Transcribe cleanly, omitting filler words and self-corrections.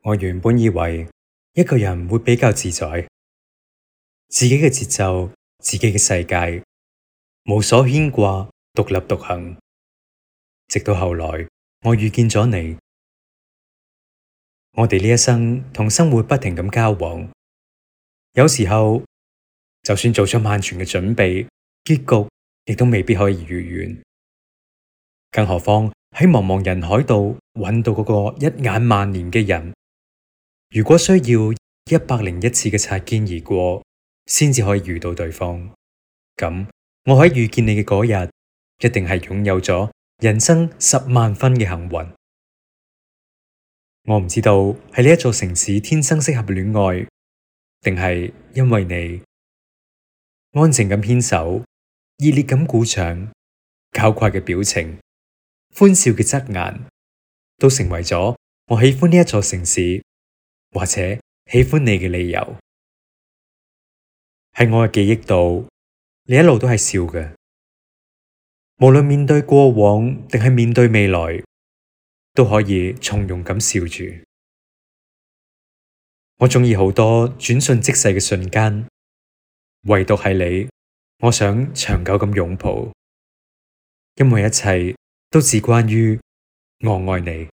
我原本以為一個人會比較自在，自己嘅節奏，自己嘅世界，無所牽掛，獨立獨行。直到後來，我遇見咗你，我哋呢一生同生活不停咁交往，有時候就算做咗萬全嘅準備，結局亦都未必可以如願。更何況喺茫茫人海度揾到嗰個一眼萬年嘅人，如果需要101次嘅擦肩而過，先至可以遇到對方，咁我喺遇見你嘅嗰日，一定係擁有咗人生10萬分嘅幸運。我唔知道喺呢一座城市天生適合戀愛，定係因為你安靜咁牽手，熱烈咁鼓掌，搞怪嘅表情，歡笑嘅側顏，都成為咗我喜歡呢一座城市，或者喜歡你嘅理由。喺我嘅記憶度，你一路都係笑嘅，無論面對過往定係面對未來，都可以從容咁笑住。我鍾意好多轉瞬即逝嘅瞬間，唯獨係你，我想長久咁擁抱，因為一切都只關於我愛你。